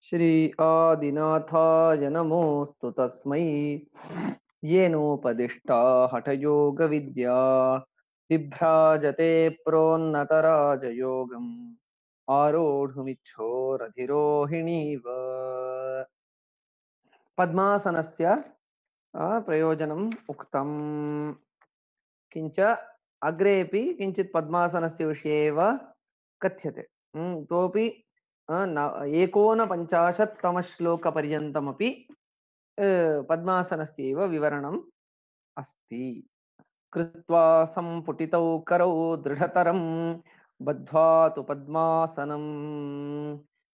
श्री आदिनाथाय नमोऽस्तु तस्मै येनोपदिष्टा हठयोगविद्या बिभ्राजते प्रोन्नतराजयोगम् आरोढुमिच्छोरधिरोहिणीव पद्मासनस्य प्रयोजनम् उक्तम्। किञ्च अग्रेपि किञ्चित् पद्मासनस्य विषये एव कथ्यते। इतोपि 49तमश्लोकपर्यन्तमपि पद्मासनस्यैव विवरणम् अस्ति। कृत्वा सम्पुटितौ करौ दृढतरं बद्ध्वा तु पद्मासनं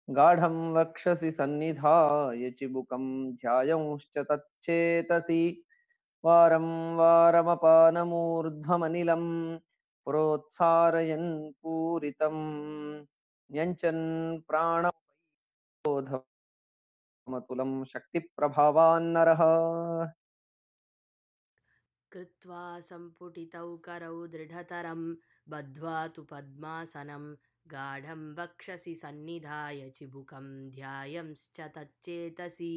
गाढं वक्षसि सन्निधाय चिबुकं ध्यायंश्च तच्चेतसि वारं वारमपानमूर्ध्वमनिलं प्रोत्सारयन् पूरितं न्यञ्चन् प्राणबोधमतुलं शक्तिप्रभावान्नरः। कृत्वा सम्पुटितौ करौ दृढतरं बद्ध्वा तु पद्मासनं गाढं वक्षसि सन्निधाय चिबुकं ध्यायंश्च तच्चेतसि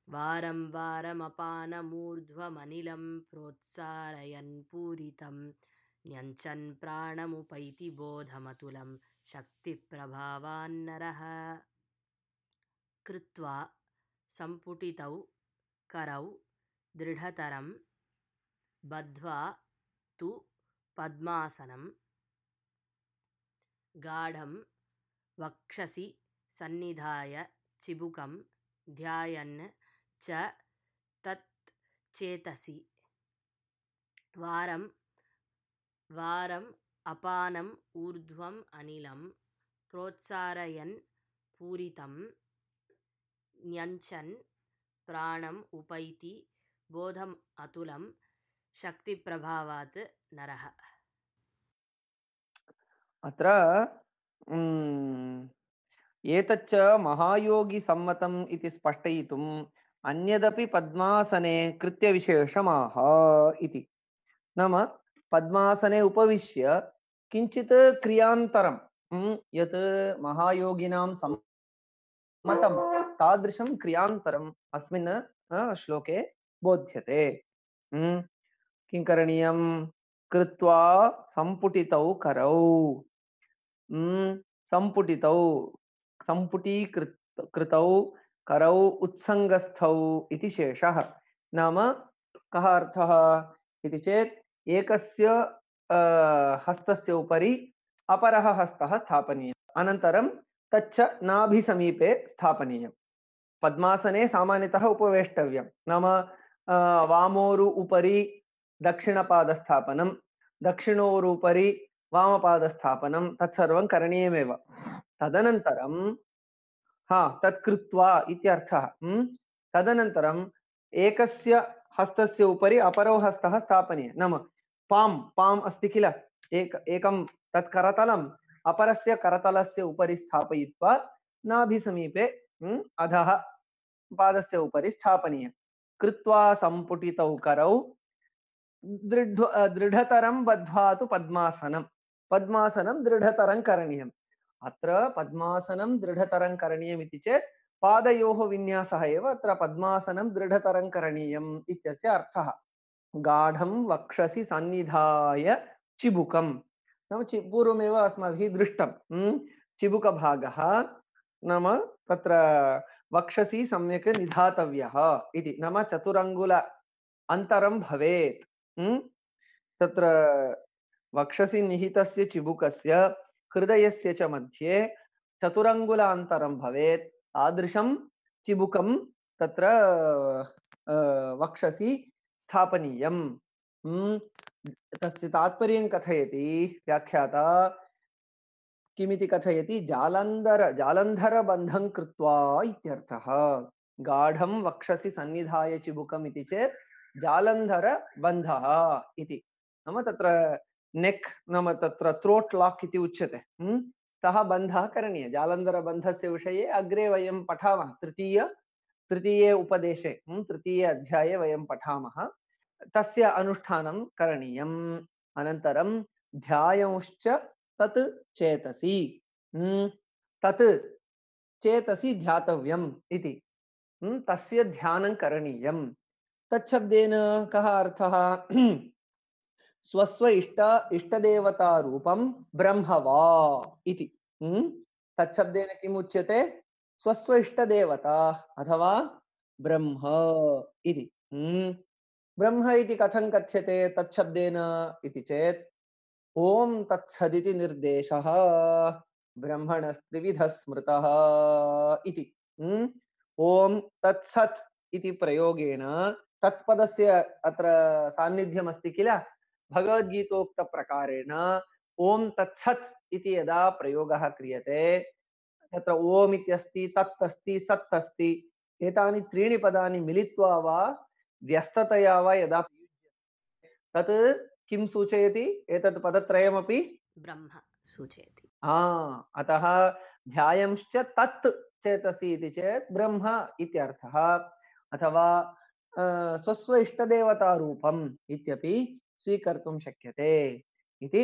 वारं वारमपानमूर्ध्वमनिलं प्रोत्सारयन् पूरितं न्यञ्चन् प्राणमुपैति बोधमतुलं शक्तिप्रभावान्नरः। कृत्वा सम्पुटितौ करौ दृढतरं बद्ध्वा तु पद्मासनं गाढं वक्षसि सन्निधाय चिबुकं ध्यायन् च तत् चेतसि वारं वारम् अपानम् ऊर्ध्वम् अनिलं प्रोत्सारयन् पूरितं न्यञ्चन् प्राणम् उपैति बोधम् अतुलं शक्तिप्रभावात् नरः। अत्र एतच्च महायोगिसम्मतम् इति स्पष्टयितुम् अन्यदपि पद्मासने कृत्यविशेषमाह इति। नाम पद्मासने उपविश्य किञ्चित् क्रियान्तरं यत् महायोगिनां सम्मतं तादृशं क्रियान्तरम् अस्मिन् श्लोके बोध्यते। किं करणीयं? कृत्वा सम्पुटितौ करौ सम्पुटितौ सम्पुटीकृतौ करौ उत्सङ्गस्थौ इति शेषः। नाम कः अर्थः इति चेत् एकस्य हस्तस्य उपरि अपरः हस्तः स्थापनीयः, अनन्तरं तच्च नाभिसमीपे स्थापनीयं। पद्मासने सामान्यतः उपवेष्टव्यं। नाम वामोरु उपरि दक्षिणपादस्थापनं, दक्षिणोरुपरि वामपादस्थापनं तत्सर्वं करणीयमेव। तदनन्तरं तत् कृत्वा इत्यर्थः। तदनन्तरम् एकस्य हस्तस्य उपरि अपरो हस्तः स्थापनीयः। नाम पाम् अस्ति किल, एकं तत् करतलम् अपरस्य करतलस्य उपरि स्थापयित्वा नाभिसमीपे अधः पादस्य उपरि स्थापनीयः। कृत्वा सम्पुटितौ करौ दृढतरं बद्ध्वा तु पद्मासनं। पद्मासनं दृढतरं करणीयम्। अत्र पद्मासनं दृढतरं करणीयम् इति चेत् पादयोः विन्यासः एव अत्र पद्मासनं दृढतरं करणीयम् इत्यस्य अर्थः। गाढं वक्षसि सन्निधाय चिबुकं। नाम पूर्वमेव अस्माभिः दृष्टं चिबुकभागः नाम तत्र वक्षसि सम्यक् निधातव्यः इति। नाम चतुरङ्गुल अन्तरं भवेत्। तत्र वक्षसि निहितस्य चिबुकस्य हृदयस्य च मध्ये चतुरङ्गुलान्तरं भवेत्। तादृशं चिबुकं तत्र वक्षसि स्थापनीयम्। तस्य तात्पर्यं कथयति व्याख्याता। किमिति कथयति? जालन्धरबन्धं कृत्वा इत्यर्थः। गाढं वक्षसि सन्निधाय चिबुकम् इति चेत् जालन्धरबन्धः इति। नाम तत्र नेक् नाम तत्र थ्रोट् लाक् इति उच्यते। सः बन्धः करणीयः। जालन्धरबन्धस्य विषये अग्रे वयं पठामः। तृतीये उपदेशे तृतीये अध्याये वयं पठामः। तस्य अनुष्ठानं करणीयम्। अनन्तरं ध्यायंश्च तत् चेतसि। तत् चेतसि ध्यातव्यम् इति। तस्य ध्यानं करणीयम्। तच्छब्देन कः अर्थः? स्वस्व इष्टदेवता रूपं ब्रह्म वा इति। तच्छब्देन किम् उच्यते? स्वस्व इष्टदेवता अथवा ब्रह्म इति। ब्रह्म इति कथं कथ्यते तच्छब्देन इति चेत् ओम तत्सदिति निर्देशः ब्रह्मणस्त्रिविधः स्मृतः इति। ओम तत्सत् इति प्रयोगेण तत्पदस्य अत्र सान्निध्यमस्ति किल, भगवद्गीतोक्तप्रकारेण ओम तत्सत् इति यदा प्रयोगः क्रियते तत्र ओम इत्यस्ति, तत् अस्ति, सत् अस्ति, एतानि त्रीणि पदानि मिलित्वा वा व्यस्ततया वा यदा तत् किं सूचयति? एतत् पदत्रयमपि ब्रह्म सूचयति। अतः ध्यायंश्च तत् चेतसि इति चेत् ब्रह्म इत्यर्थः, अथवा स्वस्व इष्टदेवता रूपम् इत्यपि स्वीकर्तुं शक्यते इति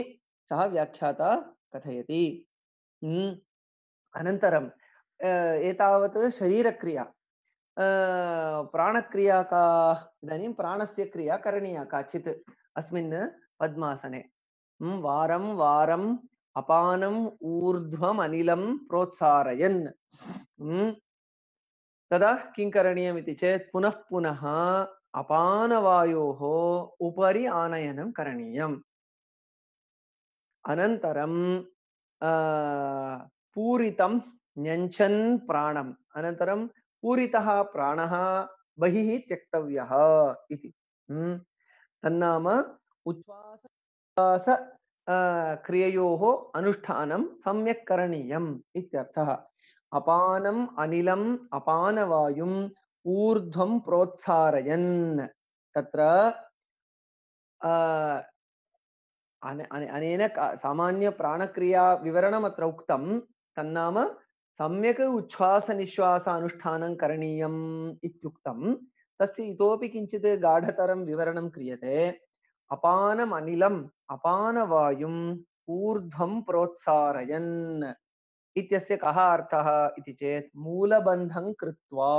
सः व्याख्याता कथयति। अनन्तरं एतावत् शरीरक्रिया। प्राणक्रिया का? इदानीं प्राणस्य क्रिया करणीया काचित् अस्मिन् पद्मासने। वारं वारम् अपानम् ऊर्ध्वम् अनिलं प्रोत्सारयन्। तदा किं करणीयमिति चेत् पुनः पुनः अपानवायोः उपरि आनयनं करणीयम्। अनन्तरं पूरितं न्यञ्चन् प्राणम्, अनन्तरं पूरितः प्राणः बहिः त्यक्तव्यः इति। तन्नाम उच्छ्वास क्रिययोः अनुष्ठानं सम्यक् करणीयम् इत्यर्थः। अपानम् अनिलम् अपानवायुम् ऊर्ध्वं प्रोत्सारयन्। तत्र अनेन सामान्य प्राणक्रिया विवरणम् अत्र उक्तं। तन्नाम सम्यक् उच्छ्वास निश्वास अनुष्ठानं करणीयम् इत्युक्तं। तस्य इतोपि किञ्चित् गाढतरं विवरणं क्रियते। अपानम् अनिलम् अपानवायुम् ऊर्ध्वं प्रोत्सारयन् इत्यस्य कः अर्थः इति चेत् मूलबन्धं कृत्वा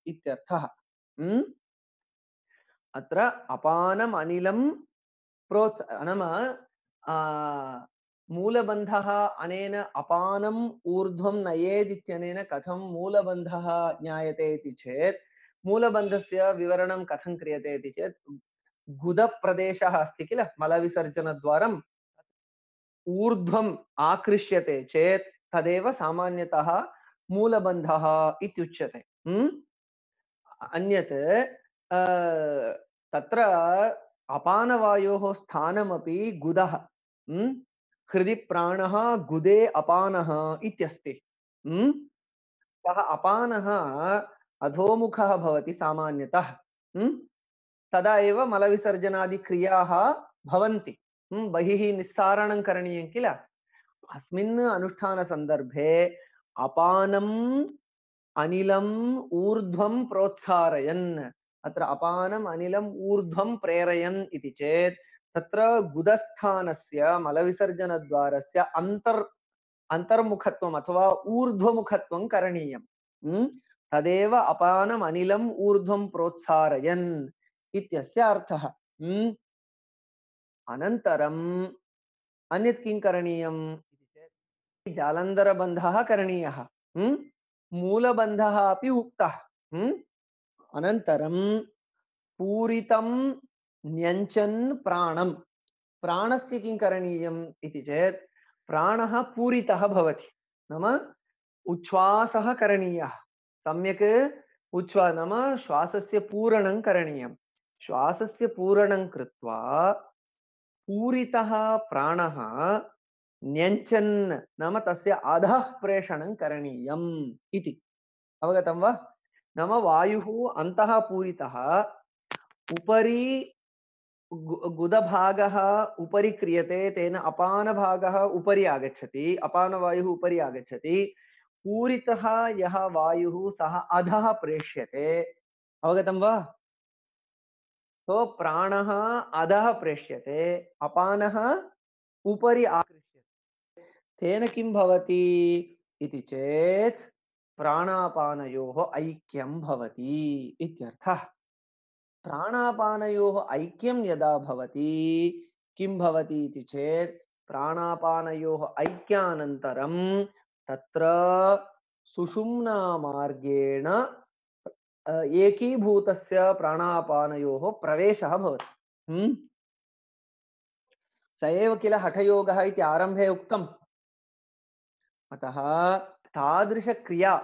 इत्यर्थः। अत्र अपानम् अनिलं नाम मूलबन्धः अनेन अपानम् ऊर्ध्वं नयेदित्यनेन कथं मूलबन्धः ज्ञायते इति चेत् मूलबन्धस्य विवरणं कथं क्रियते इति चेत् गुदप्रदेशः अस्ति किल, मलविसर्जनद्वारम् ऊर्ध्वम् आकृष्यते चेत् तदेव सामान्यतः मूलबन्धः इत्युच्यते। अन्यत् तत्र अपानवायोः स्थानमपि गुदः। हृदि प्राणः गुदे अपानः इत्यस्ति। सः अपानः अधोमुखः भवति सामान्यतः। तदा एव मलविसर्जनादिक्रियाः भवन्ति। बहिः निस्सारणं करणीयं किल। अस्मिन् अनुष्ठानसन्दर्भे अपानम् अनिलम् ऊर्ध्वं प्रोत्सारयन्। अत्र अपानम् अनिलम् ऊर्ध्वं प्रेरयन् इति चेत् तत्र गुदस्थानस्य मलविसर्जनद्वारस्य अन्तर्मुखत्वम् अथवा ऊर्ध्वमुखत्वं करणीयम्। तदेव अपानम् अनिलम् ऊर्ध्वं प्रोत्सारयन् इत्यस्य अर्थः। अनन्तरम् अन्यत् किं करणीयम् इति चेत् जालन्धरबन्धः करणीयः। मूलबन्धः अपि उक्तः। अनन्तरं पूरितं न्यञ्चन् प्राणं। प्राणस्य किं करणीयम् इति चेत् प्राणः पूरितः भवति, नाम उच्छ्वासः करणीयः। सम्यक् नाम श्वासस्य पूरणं करणीयं। श्वासस्य पूरणं कृत्वा पूरितः प्राणः न्यञ्चन् नाम तस्य अधः प्रेषणं करणीयम् इति। अवगतं वा? नाम वायुः अन्तः पूरितः, उपरि गुदभागः उपरि क्रियते, तेन अपानभागः उपरि आगच्छति, अपानवायुः उपरि आगच्छति। पूरितः यः वायुः सः अधः प्रेष्यते। अवगतं वा? तो प्राणः अधः प्रेष्यते, अपानः उपरि आकृष्यते। तेन किं भवति इति चेत् प्राणापानयोः ऐक्यं भवति इत्यर्थः। प्राणापानयोः ऐक्यं यदा भवति किं भवति इति चेत् प्राणापानयोः ऐक्यानन्तरं तत्र सुषुम्ना मार्गेण एकीभूतस्य प्राणापानयोः प्रवेशः भवति। स एव किल हठयोगः इति आरम्भे उक्तम्। अतः तादृशक्रिया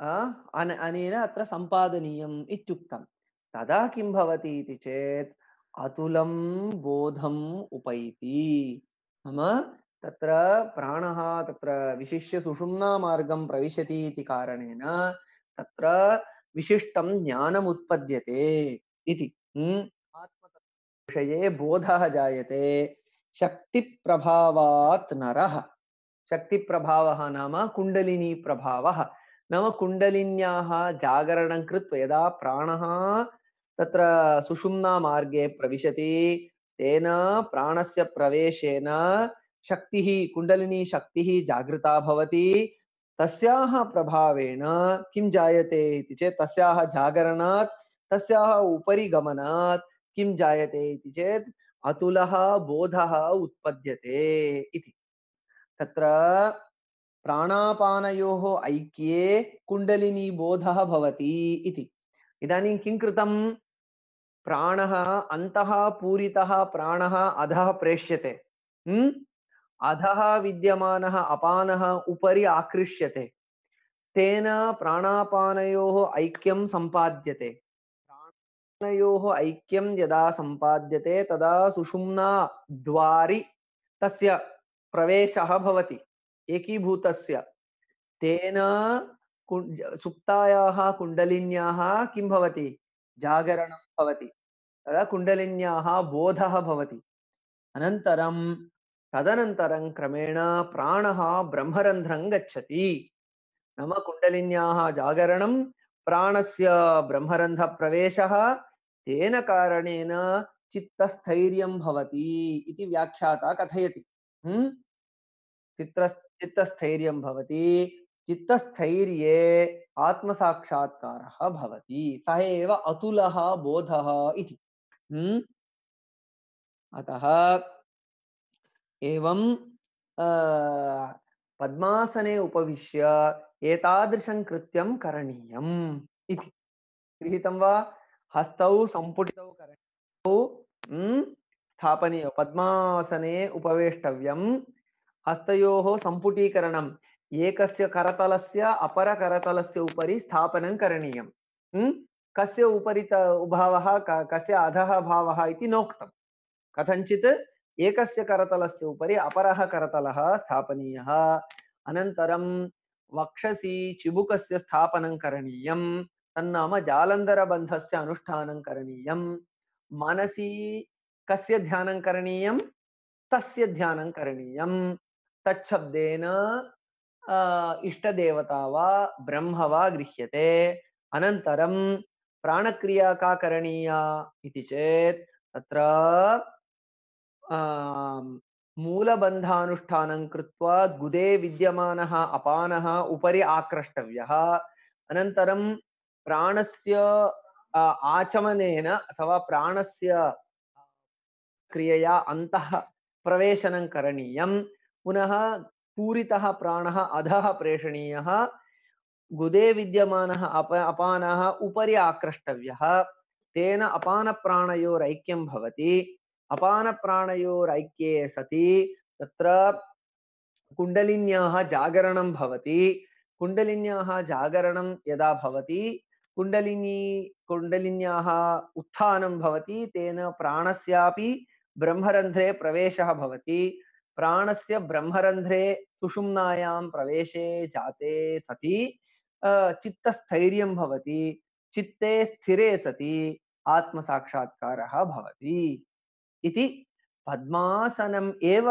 अनेन अत्र सम्पादनीयम् इत्युक्तं। तदा किं भवति इति चेत् अतुलं बोधम् उपैति। नाम तत्र प्राणः तत्र विशिष्य सुषुम्ना मार्गं प्रविशति इति कारणेन तत्र विशिष्टं ज्ञानम् उत्पद्यते इति। आत्मतत्त्वविषये बोधः जायते। शक्तिप्रभावात् नरः। शक्तिप्रभावः नाम कुण्डलिनी प्रभावः। नाम कुण्डलिन्याः जागरणं कृत्वा यदा प्राणः तत्र सुषुम्ना मार्गे प्रविशति तेन प्राणस्य प्रवेशेन शक्तिः कुण्डलिनी शक्तिः जागृता भवति। तस्याः प्रभावेण किं जायते इति चेत् तस्याः जागरणात् तस्याः उपरि गमनात् किं जायते इति चेत् अतुलः बोधः उत्पद्यते इति। तत्र प्राणापानयोः ऐक्ये कुण्डलिनी बोधः भवति इति। इदानीं किं कृतं? प्राणः अन्तः पूरितः प्राणः अधः प्रेष्यते। अधः विद्यमानः अपानः उपरि आकृष्यते। तेन प्राणापानयोः ऐक्यं सम्पाद्यते। प्राणयोः ऐक्यं यदा सम्पाद्यते तदा सुषुम्ना द्वारि तस्य प्रवेशः भवति एकीभूतस्य। तेन सुप्तायाः कुण्डलिन्याः किं भवति? जागरणं भवति। तदा कुण्डलिन्याः बोधः भवति। अनन्तरं तदनन्तरं क्रमेण प्राणः ब्रह्मरन्ध्रं गच्छति। नाम कुण्डलिन्याः जागरणं प्राणस्य ब्रह्मरन्ध्रप्रवेशः तेन कारणेन चित्तस्थैर्यं भवति इति व्याख्याता कथयति। चित्तस्थैर्यं भवति। चित्तस्थैर्ये आत्मसाक्षात्कारः भवति। सः एव अतुलः बोधः इति। अतः एवं पद्मासने उपविश्य एतादृशं कृत्यं करणीयम् इति। गृहीतं वा? हस्तौ सम्पुटितौ करणीयौ स्थापनीय पद्मासने उपवेष्टव्यं। हस्तयोः सम्पुटीकरणम् एकस्य करतलस्य अपरकरतलस्य उपरि स्थापनं करणीयं। कस्य उपरि भावः कस्य अधः भावः इति नोक्तं। कथञ्चित् एकस्य करतलस्य उपरि अपरः करतलः स्थापनीयः। अनन्तरं वक्षसि चिबुकस्य स्थापनं करणीयं। तन्नाम जालन्धरबन्धस्य अनुष्ठानं करणीयं। मनसि कस्य ध्यानं करणीयं? तस्य ध्यानं करणीयं। तच्छब्देन इष्टदेवता वा ब्रह्म वा गृह्यते। अनन्तरं प्राणक्रिया का करणीया इति चेत् तत्र मूलबन्धानुष्ठानं कृत्वा गुदे विद्यमानः अपानः उपरि आक्रष्टव्यः। अनन्तरं प्राणस्य आचमनेन अथवा प्राणस्य क्रियया अन्तः प्रवेशनं करणीयं। पुनः पूरितः प्राणः अधः प्रेषणीयः। गुदे विद्यमानः अपानः उपरि आक्रष्टव्यः। तेन अपानप्राणयोरैक्यं भवति। अपानप्राणयोरैक्ये सति तत्र कुण्डलिन्याः जागरणं भवति। कुण्डलिन्याः जागरणं यदा भवति कुण्डलिन्याः उत्थानं भवति। तेन प्राणस्यापि ब्रह्मरन्ध्रे प्रवेशः भवति। प्राणस्य ब्रह्मरन्ध्रे सुषुम्नायां प्रवेशे जाते सति चित्तस्थैर्यं भवति। चित्ते स्थिरे सति आत्मसाक्षात्कारः भवति इति। पद्मासनम् एव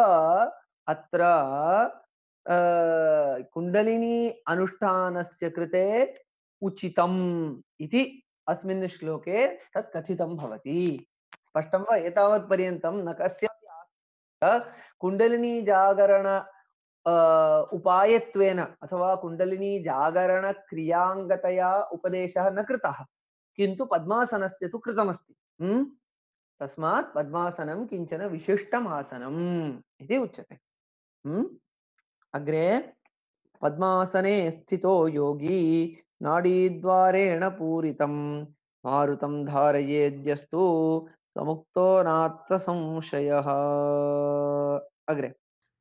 अत्र कुण्डलिनी अनुष्ठानस्य कृते उचितम् इति अस्मिन् श्लोके तत् कथितं भवति। स्पष्टं वा? एतावत् पर्यन्तं न कस्यापि कुण्डलिनी जागरण उपायत्वेन अथवा कुण्डलिनी जागरणक्रियाङ्गतया उपदेशः न कृतः, किन्तु पद्मासनस्य तु कृतमस्ति। तस्मात् पद्मासनं किञ्चन विशिष्टम् आसनम् इति उच्यते। अग्रे पद्मासने स्थितो योगी नाडीद्वारेण पूरितं मारुतं धारयेद्यस्तु समुक्तो नात्र संशयः। अग्रे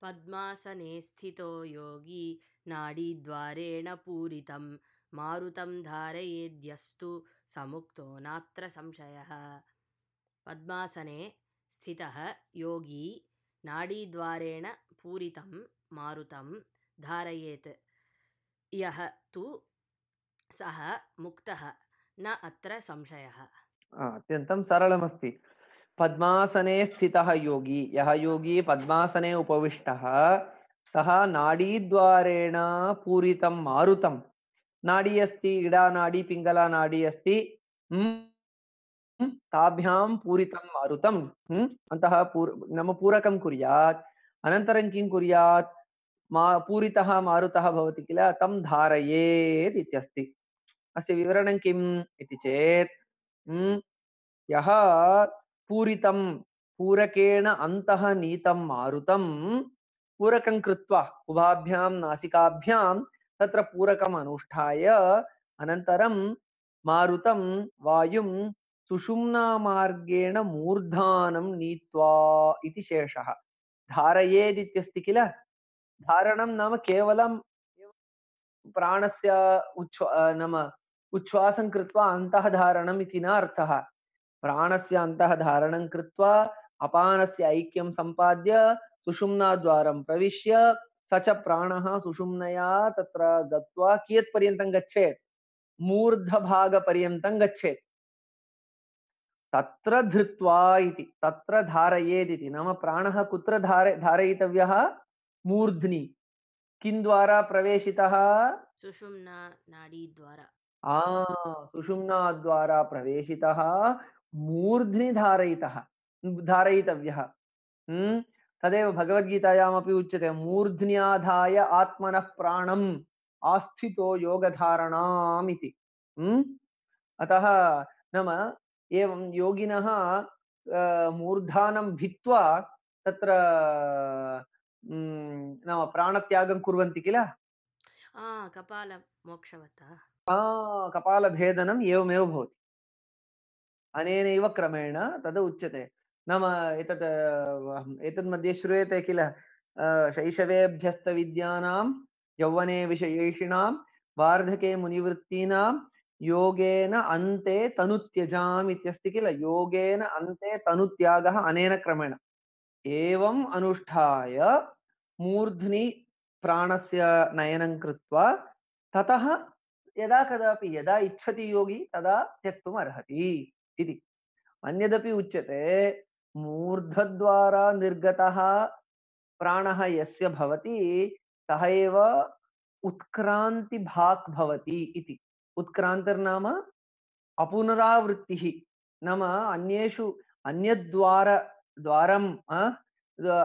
पद्मासने स्थितो योगी नाडीद्वारेण पूरितं मारुतं धारयेद्यस्तु समुक्तो नात्र संशयः। पद्मासने स्थितः योगी नाडीद्वारेण पूरितं मारुतं धारयेत् यः तु सः मुक्तः न अत्र संशयः। अत्यन्तं सरलमस्ति। पद्मासने स्थितः योगी, यः योगी पद्मासने उपविष्टः सः नाडीद्वारेण पूरितं मारुतं, नाडी अस्ति, इडा नाडी पिङ्गला नाडी अस्ति, ताभ्यां पूरितं मारुतं अन्तः नाम पूरकं कुर्यात्। अनन्तरं किं कुर्यात्? पूरितः मारुतः भवति किल, तं धारयेत् इत्यस्ति। अस्य विवरणं किम् इति चेत् यः पूरितं पूरकेण अन्तः नीतं मारुतं पूरकं कृत्वा उभाभ्यां नासिकाभ्यां तत्र पूरकम् अनुष्ठाय अनन्तरं मारुतं वायुं सुषुम्नामार्गेण मूर्धानं नीत्वा इति शेषः। धारयेदित्यस्ति किल, धारणं नाम केवलं प्राणस्य नाम उच्छ्वासं कृत्वा अन्तः धारणम् इति न अर्थः। प्राणस्य अन्तः धारणं कृत्वा अपानस्य ऐक्यं सम्पाद्य सुषुम्नाद्वारं प्रविश्य स च प्राणः सुषुम्नया तत्र गत्वा कियत्पर्यन्तं गच्छेत्? मूर्धभागपर्यन्तं गच्छेत्। तत्र धृत्वा इति, तत्र धारयेदिति नाम प्राणः कुत्र धारयितव्यः? मूर्ध्नि। किं द्वारा प्रवेशितः? सुषुम्ना नाडीद्वारा। सुषुम्नाद्वारा प्रवेशितः, मूर्ध्नि धारयितव्यः। तदेव भगवद्गीतायामपि उच्यते, मूर्ध्न्याधाय आत्मनः प्राणम् आस्थितो योगधारणाम् इति। अतः नाम एवं योगिनः मूर्धानं भित्त्वा तत्र नाम प्राणत्यागं कुर्वन्ति किल, कपालमोक्षवतः। कपालभेदनम् एवमेव भवति। अनेनैव क्रमेण तद् उच्यते। नाम एतद् मध्ये श्रूयते किल, शैशवेभ्यस्तविद्यानां यौवने विषयैषिणां वार्धके मुनिवृत्तीनां योगेन अन्ते तनुत्यजाम् इत्यस्ति किल, योगेन अन्ते तनुत्यागः अनेन क्रमेण। एवम् अनुष्ठाय मूर्ध्नि प्राणस्य नयनं कृत्वा ततः यदा कदापि यदा इच्छति योगी तदा त्यक्तुम् अर्हति इति। अन्यदपि उच्यते, मूर्धद्वारा निर्गतः प्राणः यस्य भवति सः एव उत्क्रान्तिभाक् भवति इति। उत्क्रान्तिर्नाम अपुनरावृत्तिः, नाम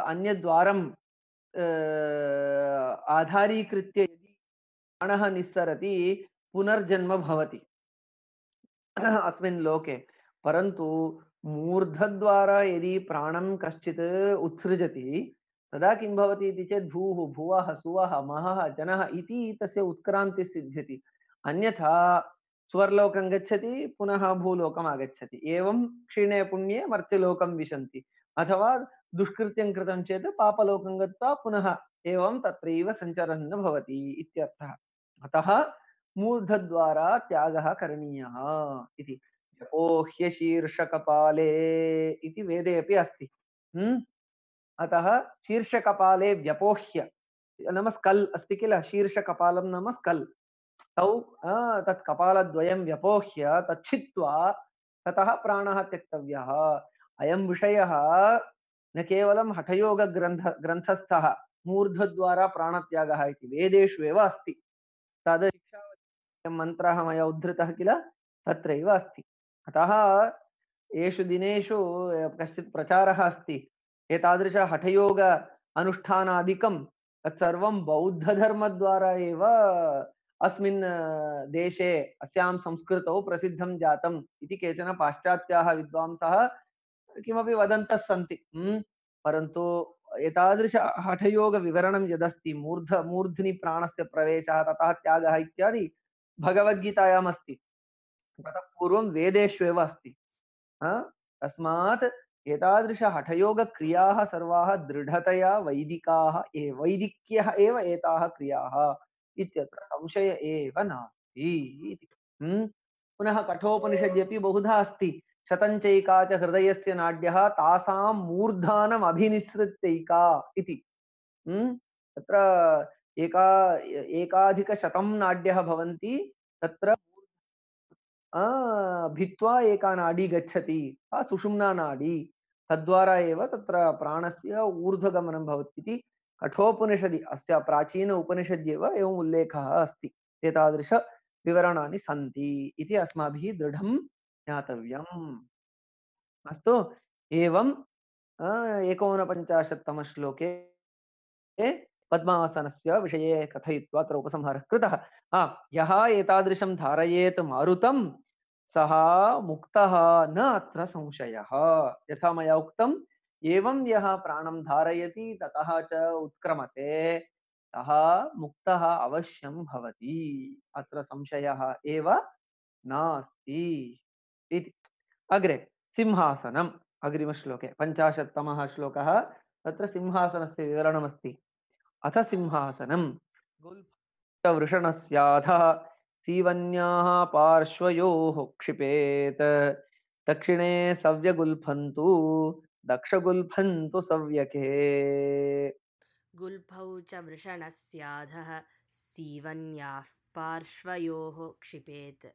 अन्यद्वारम् आधारीकृत्य यदि प्राणः निस्सरति पुनर्जन्म भवति अस्मिन् लोके। परन्तु मूर्धद्वारा यदि प्राणं कश्चित् उत्सृजति तदा किं भवति इति चेत् भूः भुवः सुवः महः जनः इति तस्य उत्क्रान्तिः सिद्ध्यति। अन्यथा स्वर्लोकं गच्छति पुनः भूलोकम् आगच्छति, एवं क्षीणे पुण्ये मर्त्यलोकं विशन्ति, अथवा दुष्कृत्यं कृतं चेत् पापलोकं गत्वा पुनः एवं तत्रैव सञ्चरन् भवति इत्यर्थः। अतः मूर्धद्वारा त्यागः करणीयः इति। जपोह्य शीर्षकपाले इति वेदे अपि अस्ति। अतः शीर्षकपाले व्यपोह्य नाम स्कल् अस्ति किल, शीर्षकपालं नाम स्कल्, तौ तत् कपालद्वयं व्यपोह्य तच्छित्वा ततः प्राणः त्यक्तव्यः। अयं विषयः न केवलं हठयोगग्रन्थस्थः मूर्धद्वारा प्राणत्यागः इति, वेदेषु एव अस्ति। तद् मन्त्रः मया उद्धृतः किल, तत्रैव अस्ति। अतः एषु दिनेषु कश्चित् प्रचारः अस्ति, एतादृश हठयोग अनुष्ठानादिकं तत्सर्वं बौद्धधर्मद्वारा एव अस्मिन् देशे अस्यां संस्कृतौ प्रसिद्धं जातम् इति केचन पाश्चात्याः विद्वांसः किमपि वदन्तः सन्ति। परन्तु एतादृश हठयोगविवरणं यदस्ति मूर्ध्नि प्राणस्य प्रवेशः ततः त्यागः इत्यादि भगवद्गीतायाम् अस्ति। ततः पूर्वं वेदेष्वेव अस्ति। तस्मात् एतादृश हठयोगक्रियाः सर्वाः दृढतया वैदिक्यः एव एताः क्रियाः इत्यत्र संशय एव नास्ति इति। पुनः कठोपनिषद्यपि बहुधा अस्ति। शतञ्चैका च हृदयस्य नाड्यः तासां मूर्धानम् अभिनिसृत्यैका इति। तत्र एकाधिकशतं नाड्यः भवन्ति। तत्र भित्त्वा एका नाडी गच्छति, सुषुम्ना नाडी। तद्वारा एव तत्र प्राणस्य ऊर्ध्वगमनं भवति इति कठोपनिषदि अस्य प्राचीन उपनिषद्येव एवम् उल्लेखः अस्ति। एतादृश विवरणानि सन्ति इति अस्माभिः दृढं ज्ञातव्यम्। अस्तु, एवं 49तम श्लोके पद्मासनस्य विषये कथयित्वा अत्र उपसंहारः कृतः। यः एतादृशं धारयेत् मारुतं सः मुक्तः न अत्र संशयः। यथा मया उक्तम्, एवं यः प्राणं धारयति ततः च उत्क्रमते सः मुक्तः अवश्यं भवति, अत्र संशयः एव नास्ति इति। अग्रे सिंहासनम्, अग्रिमश्लोके 50तमः श्लोकः। तत्र सिंहासनस्य विवरणमस्ति। अथ सिंहासनं वृषणस्याधः सीवन्याः पार्श्वयोः क्षिपेत्, दक्षिणे सव्यगुल्फन्तु दक्षगुल्फन्तु सव्यके। गुल्फौ च वृषणस्याधः सीवन्याः पार्श्वयोः क्षिपेत्,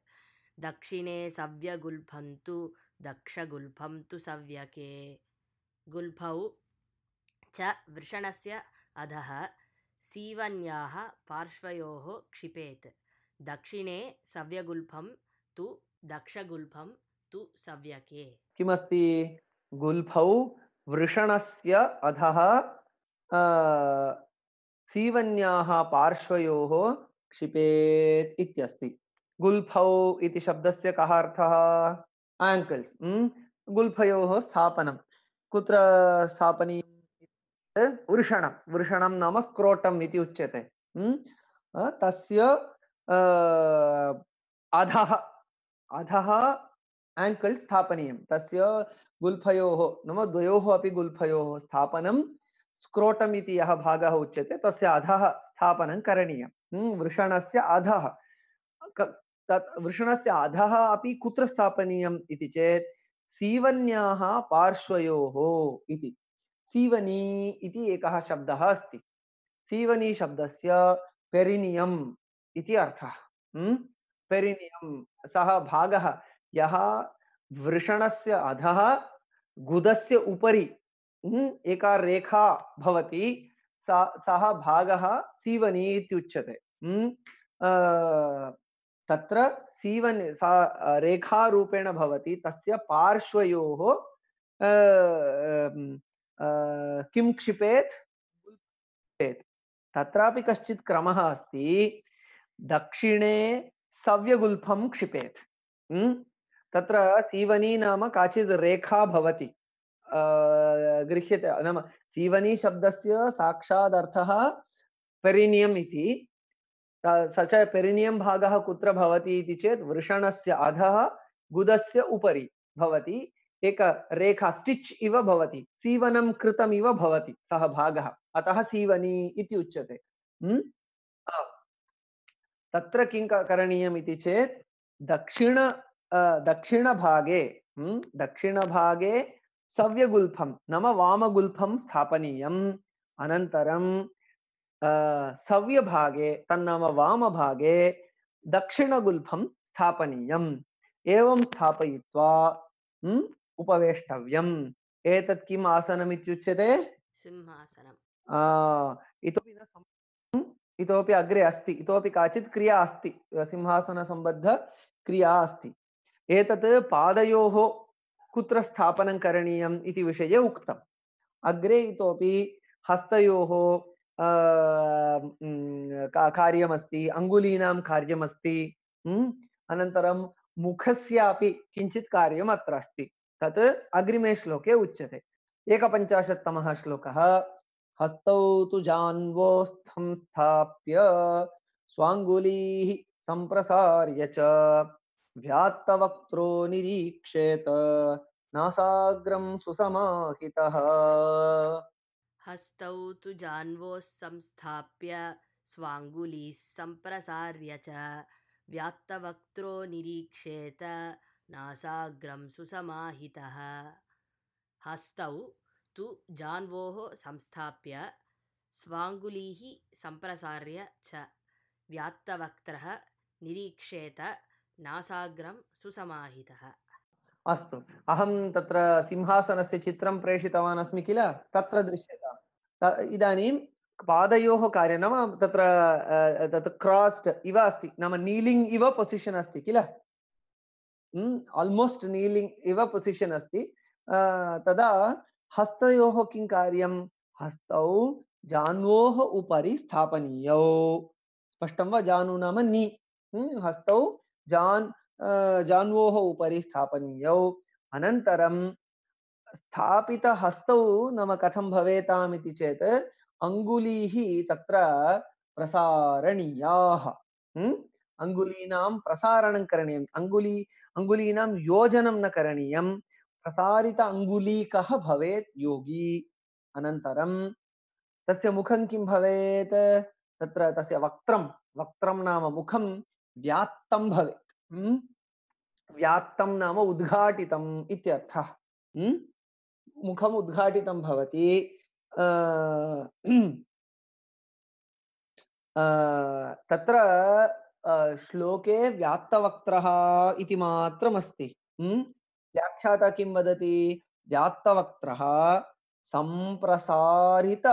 दक्षिणे सव्यगुल्फन्तु दक्षगुल्फन्तु सव्यके। गुल्फौ च वृषणस्य अधः सीवन्याः पार्श्वयोः क्षिपेत्, दक्षिणे सव्यगुल्फं तु दक्षगुल्फं तु सव्यके। किमस्ति? गुल्फौ वृषणस्य अधः सीवन्याः पार्श्वयोः क्षिपेत् इत्यस्ति। गुल्फौ इति शब्दस्य कः अर्थः? आङ्कल्स्। गुल्फयोः स्थापनं कुत्र स्थापनीयम्? वृषणं। वृषणं नाम स्क्रोटम् इति उच्यते। तस्य अधः अधः आङ्कल् स्थापनीयं। तस्य गुल्फयोः नाम द्वयोः अपि गुल्फयोः स्थापनं स्क्रोटम् इति यः भागः उच्यते तस्य अधः स्थापनं करणीयं। वृषणस्य अधः। तत् वृषणस्य अधः अपि कुत्र स्थापनीयम् इति चेत् सीवन्याः पार्श्वयोः इति। सीवनी इति एकः शब्दः अस्ति। सीवनी शब्दस्य पेरिनियम् इति अर्थः। पेरिनियम् सः भागः यः वृषणस्य अधः गुदस्य उपरि एका रेखा भवति, सः भागः सीवनी इत्युच्यते। तत्र सीवनी सा रेखारूपेण भवति। तस्य पार्श्वयोः किं क्षिपेत्? तत्रापि कश्चित् क्रमः अस्ति। दक्षिणे सव्यगुल्फं क्षिपेत्। तत्र सीवनी नाम काचित् रेखा भवति, गृह्यते। नाम सीवनी शब्दस्य साक्षादर्थः पेरिनियम् इति। स च पेरिनियम् भागः कुत्र भवति इति चेत् वृषणस्य अधः गुदस्य उपरि भवति। एक रेखा स्टिच् इव भवति, सीवनं कृतम् इव भवति सः भागः, अतः सीवनी इति उच्यते। तत्र किं करणीयम् इति चेत् दक्षिणभागे दक्षिणभागे सव्यगुल्फं नाम वामगुल्फं स्थापनीयम्। अनन्तरं सव्यभागे तन्नाम वामभागे दक्षिणगुल्फं स्थापनीयम्। एवं स्थापयित्वा उपवेष्टव्यम्। एतत् किम् आसनम् इत्युच्यते? सिंहासनम्। इतोपि न इतोपि अग्रे अस्ति, इतोपि काचित् क्रिया अस्ति, सिंहासनसम्बद्ध क्रिया अस्ति। एतत् पादयोः कुत्र स्थापनं करणीयम् इति विषये उक्तम्। अग्रे इतोपि हस्तयोः कार्यमस्ति, अङ्गुलीनां कार्यमस्ति, अनन्तरं मुखस्यापि किञ्चित् कार्यम् अत्र अस्ति। तत् अग्रिमे श्लोके उच्यते। 51तमः श्लोकः। हस्तौ तु जान्वोस्थं स्थाप्य स्वाङ्गुलीः सम्प्रसार्य च व्यात्तवक्त्रो निरीक्षेत नासाग्रं सुसमाहितः। हस्तौ तु जान्वोः संस्थाप्य स्वाङ्गुलीः सम्प्रसार्य च व्यात्तवक्त्रो निरीक्षेत नासाग्रं सुसमाहितः। हस्तौ तु जान्वोः संस्थाप्य स्वाङ्गुलीः सम्प्रसार्य च व्यात्तवक्त्रः निरीक्षेत नासाग्रं सुसमाहितः। अस्तु, अहं तत्र सिंहासनस्य चित्रं प्रेषितवान् अस्मि किल, तत्र दृश्यताम्। इदानीं पादयोः कार्यं नाम तत्र तत् क्रास्ड् इव अस्ति, नाम नीलिङ्ग् इव पोसिशन् अस्ति किल, आल्मोस्ट् नीलिङ्ग् इव पोसिशन् अस्ति। तदा हस्तयोः किं कार्यं, हस्तौ जान्वोः उपरि स्थापनीयौ। स्पष्टं वा, जानु नाम नी, हस्तौ जान्वोः उपरि स्थापनीयौ। अनन्तरं स्थापितहस्तौ नाम कथं भवेताम् इति चेत् अङ्गुलीः तत्र प्रसारणीयाः। अङ्गुलीनां प्रसारणं करणीयम्। अङ्गुलीनां योजनं न करणीयं। प्रसारित अङ्गुलीकः भवेत् योगी। अनन्तरं तस्य मुखं किं भवेत्, तत्र तस्य वक्त्रं नाम मुखं व्यात्तं भवेत्। व्यात्तं नाम उद्घाटितम् इत्यर्थः। मुखम् उद्घाटितं भवति। तत्र श्लोके व्यात्तवक्त्रः इति मात्रमस्ति। व्याख्याता किं वदति, व्यात्तवक्त्रः सम्प्रसारित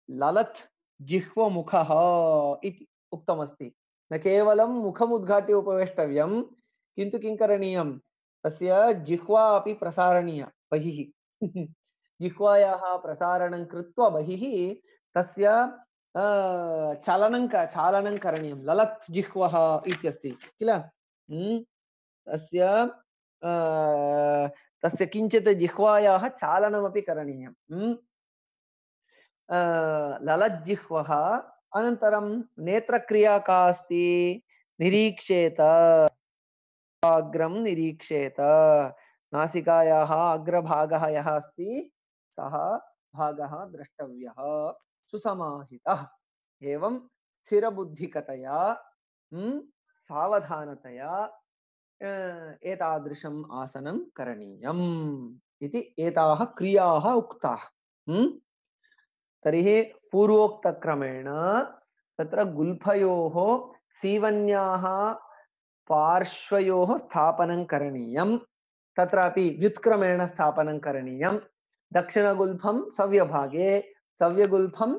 ललत् जिह्वमुखः इति उक्तमस्ति। न केवलं मुखम् उद्घाट्य उपवेष्टव्यं, किन्तु किं करणीयं, तस्य जिह्वा अपि प्रसारणीया बहिः। जिह्वायाः प्रसारणं कृत्वा बहिः तस्य चालनं करणीयं। ललत् जिह्वः इत्यस्ति किल, तस्य किञ्चित् जिह्वायाः चालनमपि करणीयं। ललज्जिह्वः। अनन्तरं नेत्रक्रिया का अस्ति, निरीक्षेत, अग्रं निरीक्षेत। नासिकायाः अग्रभागः यः अस्ति सः भागः द्रष्टव्यः, सुसमाहितः। एवं स्थिरबुद्धिकतया सावधानतया एतादृशम् आसनं करणीयम् इति एताः क्रियाः उक्ताः। तर्हि पूर्वोक्तक्रमेण तत्र गुल्फयोः सीवन्याः पार्श्वयोः स्थापनं करणीयं। तत्रापि व्युत्क्रमेण स्थापनं करणीयं। दक्षिणगुल्फं सव्यभागे, सव्यगुल्फं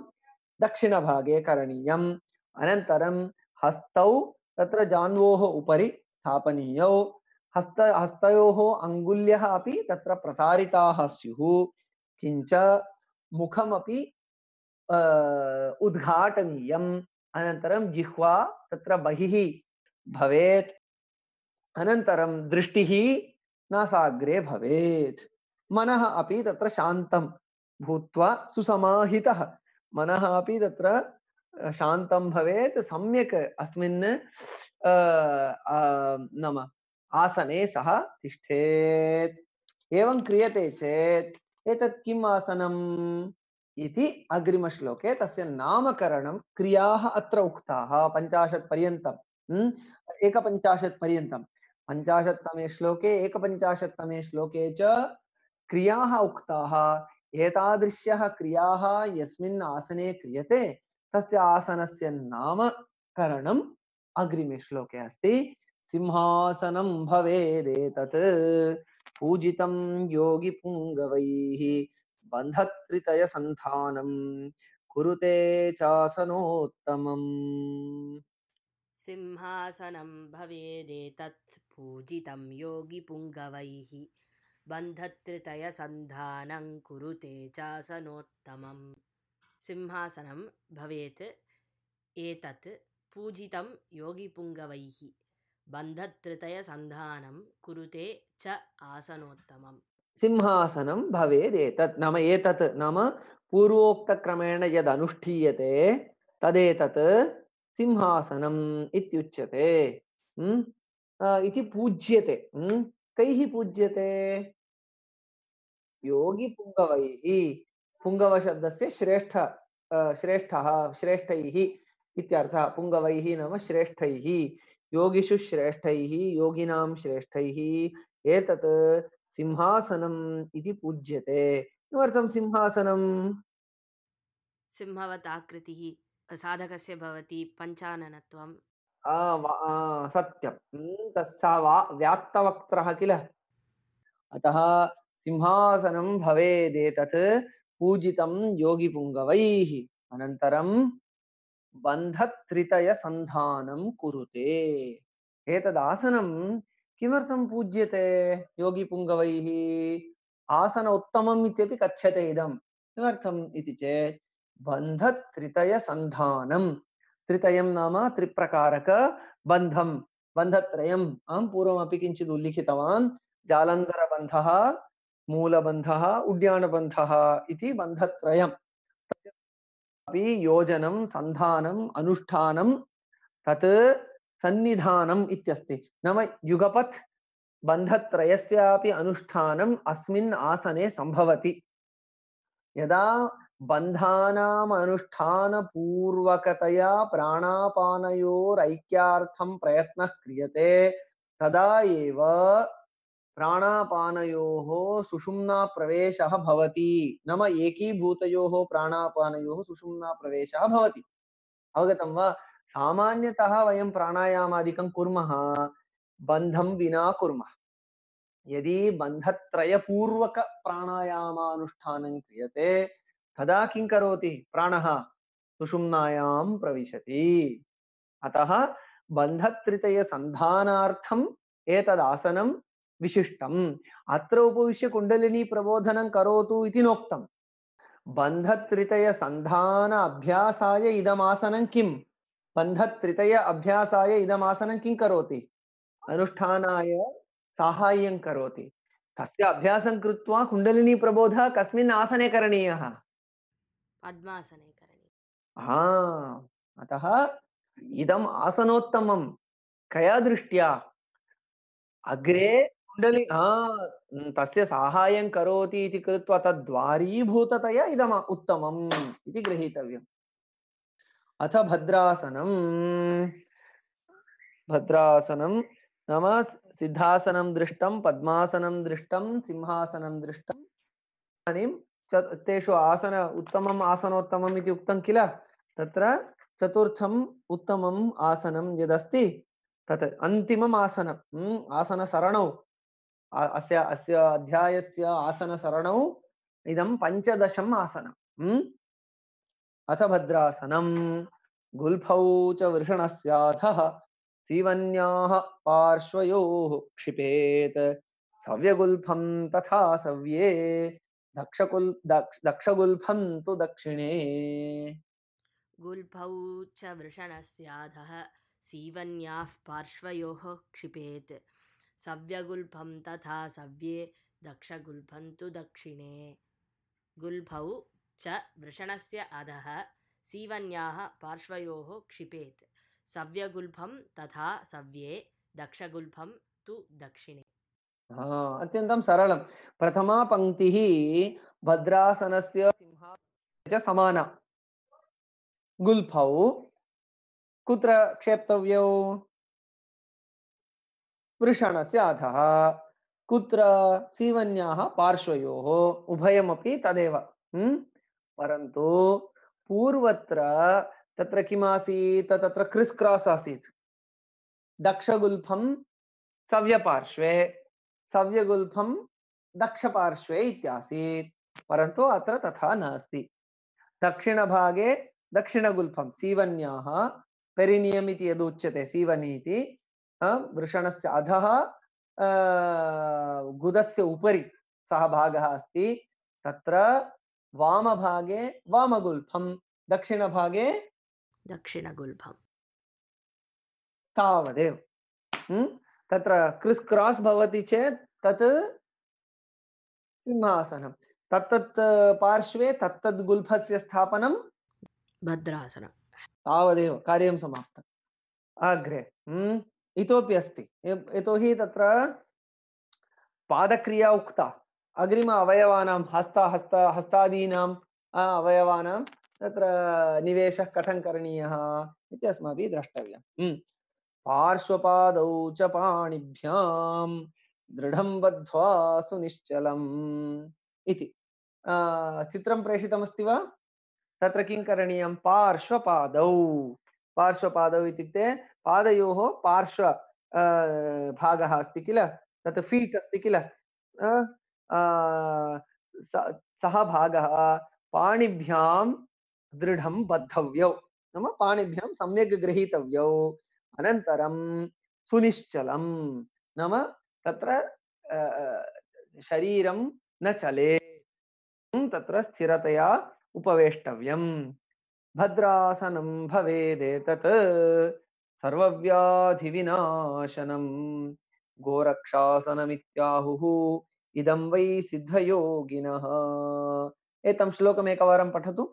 दक्षिणभागे करणीयम्। अनन्तरं हस्तौ तत्र जान्वोः उपरि स्थापनीयौ। हस्तयोः अङ्गुल्यः अपि तत्र प्रसारिताः स्युः। किञ्च मुखमपि उद्घाटनीयम्। अनन्तरं जिह्वा तत्र बहिः भवेत्। अनन्तरं दृष्टिः नासाग्रे भवेत्। मनः अपि तत्र शान्तं भूत्वा सुसमाहितः, मनः अपि तत्र शान्तं भवेत्, सम्यक् अस्मिन् नाम आसने सः तिष्ठेत्। एवं क्रियते चेत् एतत् किम् आसनम् इति अग्रिमश्लोके तस्य नामकरणं, क्रियाः अत्र उक्ताः 50 पर्यन्तं, 51 पर्यन्तं। 50तमे श्लोके 51तमे श्लोके च क्रियाः उक्ताः। एतादृश्यः क्रियाः यस्मिन् आसने क्रियते तस्य आसनस्य नामकरणम् अग्रिमे श्लोके अस्ति। सिंहासनं भवेदेतत् पूजितं योगिपुङ्गवैः बन्धत्रितयसन्धानं कुरुते चासनोत्तमम्। सिंहासनं भवेदेतत् पूजितं योगिपुङ्गवैः बन्धत्रितयसन्धानं कुरुते चासनोत्तमम्। सिंहासनं भवेत् एतत् पूजितं योगिपुङ्गवैः बन्धत्रितयसन्धानं कुरुते च आसनोत्तमम् सिंहासनं भवेदेतत् नाम एतत् नाम पूर्वोक्तक्रमेण यद् अनुष्ठीयते तदेतत् सिंहासनम् इत्युच्यते इति पूज्यते कैः पूज्यते योगी पुंगवैः पुंगवशब्दस्य श्रेष्ठः श्रेष्ठैः इत्यर्थः पुंगवैः नाम श्रेष्ठैः योगिषु श्रेष्ठैः योगिनां श्रेष्ठैः एतत् सिंहासनम् इति पूज्यते किमर्थं सिंहासनम् सिंहवताकृतिः साधकस्य भवति पञ्चाननत्वं सत्यं तस्सा व्यात्तवक्त्रः किल अतः सिंहासनं भवेदेतत् पूजितं योगिपुङ्गवैः अनन्तरं बन्धत्रितयसन्धानं कुरुते एतदासनं किमर्थं पूज्यते योगिपुङ्गवैः आसन उत्तमम् इत्यपि कथ्यते इदं किमर्थम् इति चेत् बन्धत्रितयसन्धानं त्रितयं नाम त्रिप्रकारक बन्धं बन्धत्रयम् अहं पूर्वमपि किञ्चित् उल्लिखितवान् जालन्धरबन्धः मूलबन्धः उड्यानबन्धः इति बन्धत्रयम् अपि योजनं सन्धानम् अनुष्ठानं तत् सन्निधानम् इत्यस्ति नाम युगपत् बन्धत्रयस्यापि अनुष्ठानम् अस्मिन् आसने सम्भवति यदा बन्धानाम् अनुष्ठानपूर्वकतया प्राणापानयोरैक्यार्थं प्रयत्नः क्रियते तदा एव प्राणापानयोः सुषुम्ना प्रवेशः भवति नाम एकीभूतयोः प्राणापानयोः सुषुम्ना प्रवेशः भवति अवगतं वा सामान्यतः वयं प्राणायामादिकं कुर्मः बन्धं विना कुर्मः यदि बन्धत्रयपूर्वक प्राणायामानुष्ठानं क्रियते तदा किं करोति प्राणः सुषुम्नायां प्रविशति अतः बन्धत्रितयसन्धानार्थम् एतदासनं विशिष्टम् अत्र उपविश्य कुण्डलिनी प्रबोधनं करोतु इति नोक्तम् बन्धत्रितयसन्धान अभ्यासाय इदमासनं किम् बन्धत्रितय अभ्यासाय इदमासनं किं करोति अनुष्ठानाय साहाय्यं करोति तस्य अभ्यासं कृत्वा कुण्डलिनी प्रबोधः कस्मिन् आसने करणीयः पद्मासने करणीयम् अतः इदम् आसनोत्तमं कया दृष्ट्या अग्रे कुण्डली तस्य साहाय्यं करोति इति कृत्वा तद्वारीभूततया इदम् उत्तमम् इति गृहीतव्यम् अथ भद्रासनं नाम सिद्धासनं दृष्टं पद्मासनं दृष्टं सिंहासनं दृष्टम् इदानीं तेषु आसन उत्तमम् आसनोत्तमम् इति उक्तं किल तत्र चतुर्थम् उत्तमम् आसनं यदस्ति तत् अन्तिमम् आसनम् आसनसरणौ अस्य अध्यायस्य आसनसरणौ इदं पञ्चदशम् आसनम् अथ भद्रासनं गुल्फौ च वृषणस्याधः सीवन्याः पार्श्वयोः क्षिपेत् सव्यगुल्फं तथा सव्ये दक्षगुल्फं तु दक्षिणे गुल्फौ च वृषणस्याधः सीवन्याः पार्श्वयोः क्षिपेत् सव्यगुल्फं तथा सव्ये दक्षगुल्फं तु दक्षिणे गुल्फौ च वृषणस्य अधः सीवन्याः पार्श्वयोः क्षिपेत् सव्यगुल्फं तथा सव्ये दक्षगुल्फं तु दक्षिणे अत्यन्तं सरलं प्रथमा पङ्क्तिः भद्रासनस्य सिंहासनस्य च समाना गुल्फौ कुत्र क्षेप्तव्यौ वृषणस्य अधः कुत्र सीवन्याः पार्श्वयोः उभयमपि तदेव परन्तु पूर्वत्र तत्र किमासीत् तत्र क्रिस् क्रास् आसीत् दक्षगुल्फं सव्यपार्श्वे सव्यगुल्फं दक्षपार्श्वे इत्यासीत् परन्तु अत्र तथा नास्ति दक्षिणभागे दक्षिणगुल्फं सीवन्याः पेरिनियम् इति यदुच्यते सीवनी इति वृषणस्य अधः गुदस्य उपरि सः भागः अस्ति तत्र वामभागे वामगुल्फं, दक्षिणभागे दक्षिणगुल्फम्। तावदेव। तत्र क्रिस् क्रास् भवति चेत् तत् सिंहासनं, तत्तत् पार्श्वे तत्तद् गुल्फस्य स्थापनं भद्रासनं। तावदेव, कार्यं समाप्तम्। अग्रे इतोपि अस्ति, यतोहि तत्र पादक्रिया उक्ता, अग्रिम अवयवानां हस्तादीनां अवयवानां तत्र निवेशः कथं करणीयः इति अस्माभिः द्रष्टव्यम्। पार्श्वपादौ च पाणिभ्यां दृढं बद्ध्वा सुनिश्चलम् इति चित्रं प्रेषितमस्ति वा? तत्र किं करणीयं? पार्श्वपादौ, पार्श्वपादौ इत्युक्ते पादयोः पार्श्व भागः अस्ति किल, तत् फीट् अस्ति किल, सः भागः पाणिभ्यां दृढं बद्धव्यौ, नाम पाणिभ्यां सम्यक् गृहीतव्यौ। अनन्तरं सुनिश्चलं, नाम तत्र शरीरं न चलेत्, तत्र स्थिरतया उपवेष्टव्यम्। भद्रासनं भवेदेतत् सर्वव्याधिविनाशनं गोरक्षासनमित्याहुः इदं वै सिद्धयोगिनः। एतं श्लोकम् एकवारं पठतु।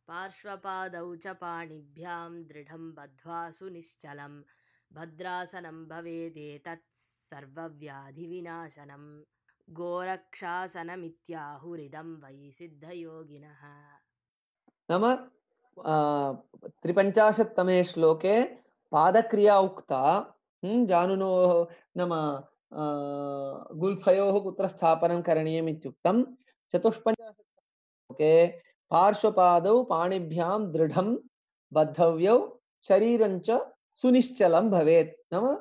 पार्श्वपादौ च पाणिभ्यां दृढं बद्ध्वा सुनिश्चलं भद्रासनं भवेदेतत् सर्वव्याधिविनाशनं गोरक्षासनमित्याहुरिदं वै सिद्धयोगिनः। नाम 53तमे श्लोके पादक्रिया उक्ता, जानुनोः नाम गुल्फयोः कुत्र स्थापनं करणीयम् इत्युक्तं। 54 श्लोके पार्श्वपादौ पाणिभ्यां दृढं बद्धव्यौ शरीरं च सुनिश्चलं भवेत्, नाम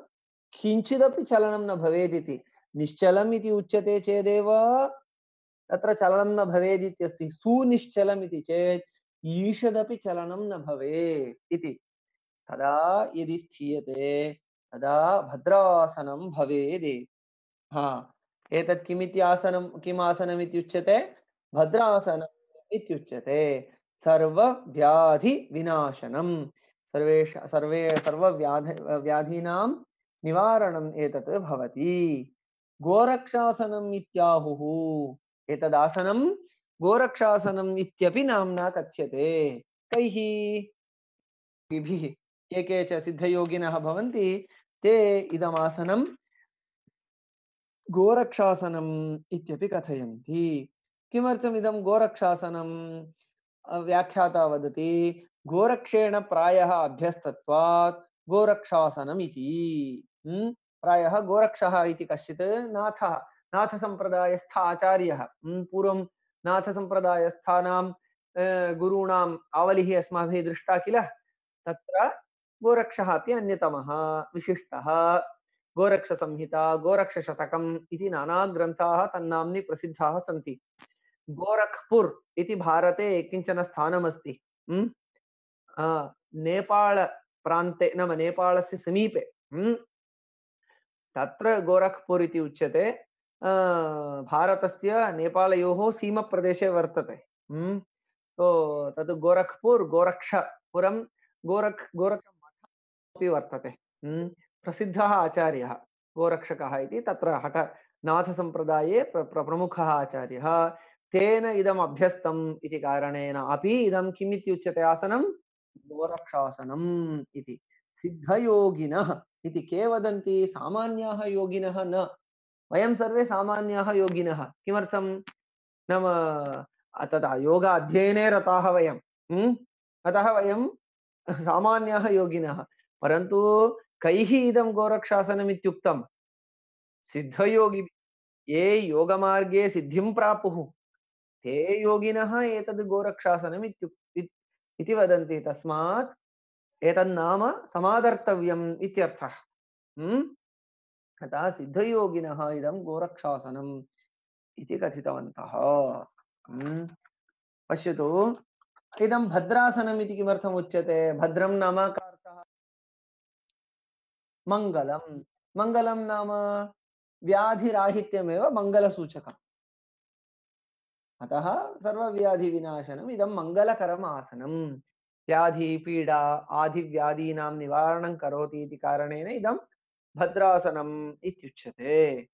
किञ्चिदपि चलनं न भवेत् इति। निश्चलम् इति उच्यते चेदेव तत्र चलनं न भवेत् इत्यस्ति, सुनिश्चलम् इति चेत् ईषदपि चलनं न भवेत् इति। तदा यदि स्थीयते तदा भद्रासनं भवेत्। एतत् किमिति आसनं, किम् आसनम् इत्युच्यते? भद्रासनम् इत्युच्यते। सर्वव्याधिविनाशनं, सर्वव्याधीनां निवारणम् एतत् भवति। गोरक्षासनम् इत्याहुः, एतदासनं गोरक्षासनम् इत्यपि नाम्ना कथ्यते। कैः? योगिभिः। ये के च सिद्धयोगिनः भवन्ति ते इदमासनं गोरक्षासनम् इत्यपि कथयन्ति। किमर्थम् इदं गोरक्षासनं? व्याख्याता वदति गोरक्षेण प्रायः अभ्यस्तत्वात् गोरक्षासनम् इति। प्रायः गोरक्षः इति कश्चित् नाथः, नाथसम्प्रदायस्थ आचार्यः, पूर्वं नाथसम्प्रदायस्थानां गुरूणाम् आवलिः अस्माभिः दृष्टा किल, तत्र गोरक्षः अपि अन्यतमः विशिष्टः। गोरक्षसंहिता, गोरक्षशतकम् इति नाना ग्रन्थाः तन्नाम्नि प्रसिद्धाः सन्ति। गोरखपुर इति भारते किञ्चन स्थानमस्ति, नेपाळ प्रान्ते, नाम नेपाळस्य समीपे, तत्र गोरखपुर इति उच्यते। भारतस्य नेपालयोः सीमप्रदेशे वर्तते। तो तद् गोरखपुर, गोरक्षपुरं, गोरखमठम् अपि वर्तते। प्रसिद्धः आचार्यः गोरक्षकः इति, तत्र हठ नाथसम्प्रदाये प्रमुखः आचार्यः। तेन इदम् अभ्यस्तम् इति कारणेन अपि इदं किम् इति उच्यते? आसनं गोरक्षासनम् इति। सिद्धयोगिनः इति के वदन्ति? सामान्याः योगिनः न। वयं सर्वे सामान्याः योगिनः। किमर्थं? नाम तदा योग अध्ययने रताः वयं, अतः वयं सामान्याः योगिनः। परन्तु कैः इदं गोरक्षासनम् इत्युक्तं? सिद्धयोगी, ये योगमार्गे सिद्धिं प्रापुः ते योगिनः एतद् गोरक्षासनम् इति वदन्ति। तस्मात् एतन्नाम समादर्तव्यम् इत्यर्थः। अतः सिद्धयोगिनः इदं गोरक्षासनम् इति कथितवन्तः। पश्यतु, इदं भद्रासनम् इति किमर्थम् उच्यते? भद्रं नाम का अर्थः? मङ्गलं। मङ्गलं नाम व्याधिराहित्यमेव मङ्गलसूचकम्। अतः सर्वव्याधिविनाशनम् इदं मङ्गलकरम् आसनम्। व्याधि पीडा आदिव्याधीनां निवारणं करोति इति कारणेन इदं भद्रासनम् इत्युच्यते।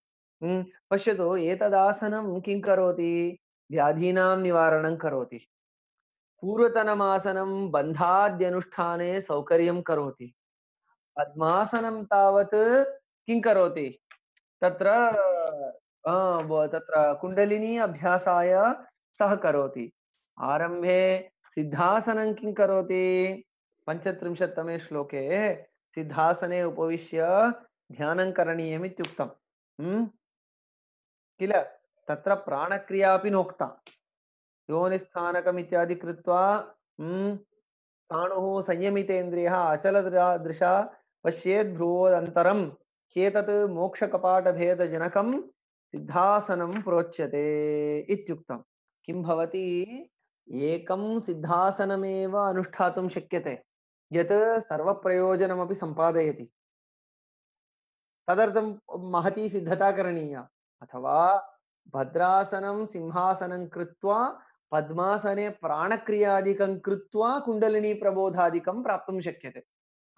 पश्यतु, एतदासनं किं करोति? व्याधीनां निवारणं करोति। पूर्वतनमासनं बन्धाद्यनुष्ठाने सौकर्यं करोति। पद्मासनं तावत् किं करोति? तत्र तत्र कुण्डलिनी अभ्यासाय सहकरोति। आरम्भे सिद्धासनं किं करोति? 35तमे श्लोके सिद्धासने उपविश्य ध्यानं करणीयम् इत्युक्तम्। किल? तत्र प्राणक्रिया अपि नोक्ता। योनिस्थानकम् इत्यादि कृत्वा स्थाणुः संयमितेन्द्रियः अचलदृशा पश्येत् भ्रुवोदन्तरं ह्येतत् मोक्षकपाटभेदजनकं सिद्धासनं प्रोच्यते इत्युक्तं। किं भवति? एकं सिद्धासनमेव अनुष्ठातुं शक्यते, यत् सर्वप्रयोजनमपि सम्पादयति। तदर्थं महती सिद्धता करणीया। अथवा भद्रासनं सिंहासनं कृत्वा पद्मासने प्राणक्रियादिकं कृत्वा कुण्डलिनी प्रबोधादिकं प्राप्तुं शक्यते।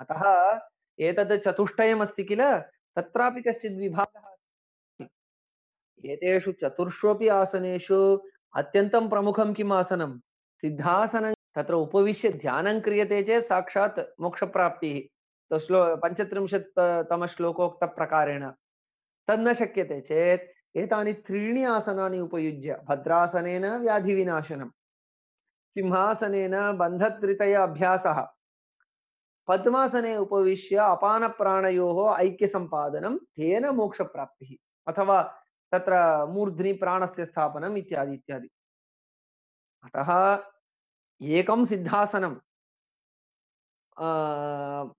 अतः एतद् चतुष्टयमस्ति किल, तत्रापि कश्चित् विभागः अस्ति। एतेषु चतुर्ष्वपि आसनेषु अत्यन्तं प्रमुखं किम् आसनं? सिद्धासनं। तत्र उपविश्य ध्यानं क्रियते चेत् साक्षात् मोक्षप्राप्तिः। 35तमश्लोकोक्तप्रकारेण तन्न शक्यते चेत् एतानि त्रीणि आसनानि उपयुज्य भद्रासनेन व्याधिविनाशनं, सिंहासनेन बन्धत्रितय अभ्यासः, पद्मासने उपविश्य अपानप्राणयोः ऐक्यसम्पादनं, तेन मोक्षप्राप्तिः अथवा तत्र मूर्ध्नि प्राणस्य स्थापनम् इत्यादि इत्यादि। अतः एकं सिद्धासनं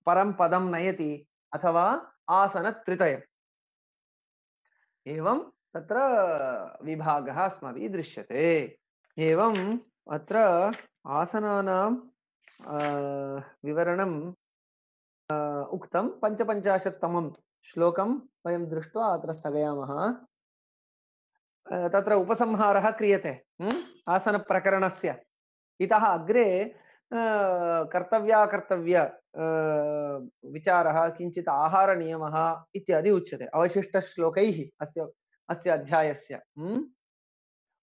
परं पदं नयति अथवा आसनत्रितयम्। एवं तत्र विभागः अस्माभिः दृश्यते। एवम् अत्र आसनानां विवरणं उक्तं। 55तमं श्लोकं वयं दृष्ट्वा अत्र स्थगयामः। तत्र उपसंहारः क्रियते आसनप्रकरणस्य। इतः अग्रे कर्तव्य विचारः, किञ्चित् आहारनियमः इत्यादि उच्यते अवशिष्टश्लोकैः अस्य अध्यायस्य।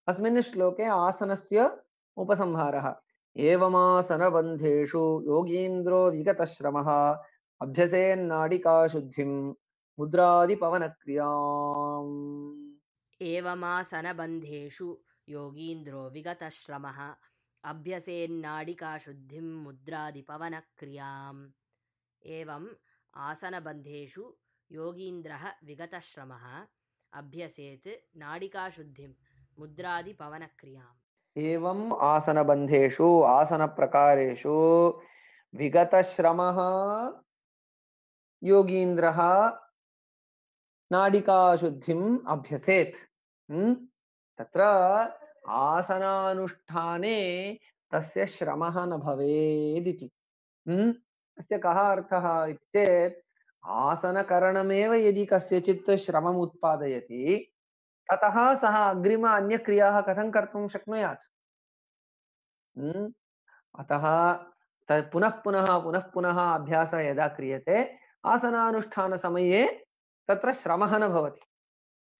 अस्मिन् श्लोके आसनस्य उपसंहारः। एवमासनबन्धेषु योगीन्द्रो विगतश्रमः अभ्यसेन्नाडिकाशुद्धिं मुद्रादिपवनक्रियाम्। एवमासनबन्धेषु योगीन्द्रो विगतश्रमः अभ्यसेन्नाडिकाशुद्धिं मुद्रादिपवनक्रियाम्। एवम् आसनबन्धेषु योगीन्द्रः विगतश्रमः अभ्यसेत् नाडिकाशुद्धिं मुद्रादिपवनक्रियाम्। एवम् आसनबन्धेषु आसनप्रकारेषु विगतश्रमः योगीन्द्रः नाडिकाशुद्धिम् अभ्यसेत्। तत्र आसनानुष्ठाने तस्य श्रमः न भवेदिति। अस्य कः अर्थः इति चेत्, आसनकरणमेव यदि कस्यचित् श्रमम् उत्पादयति, ततः सः अग्रिम अन्यक्रियाः कथं कर्तुं शक्नुयात्? अतः पुनः पुनः अभ्यासः यदा क्रियते, आसनानुष्ठानसमये तत्र श्रमः न भवति।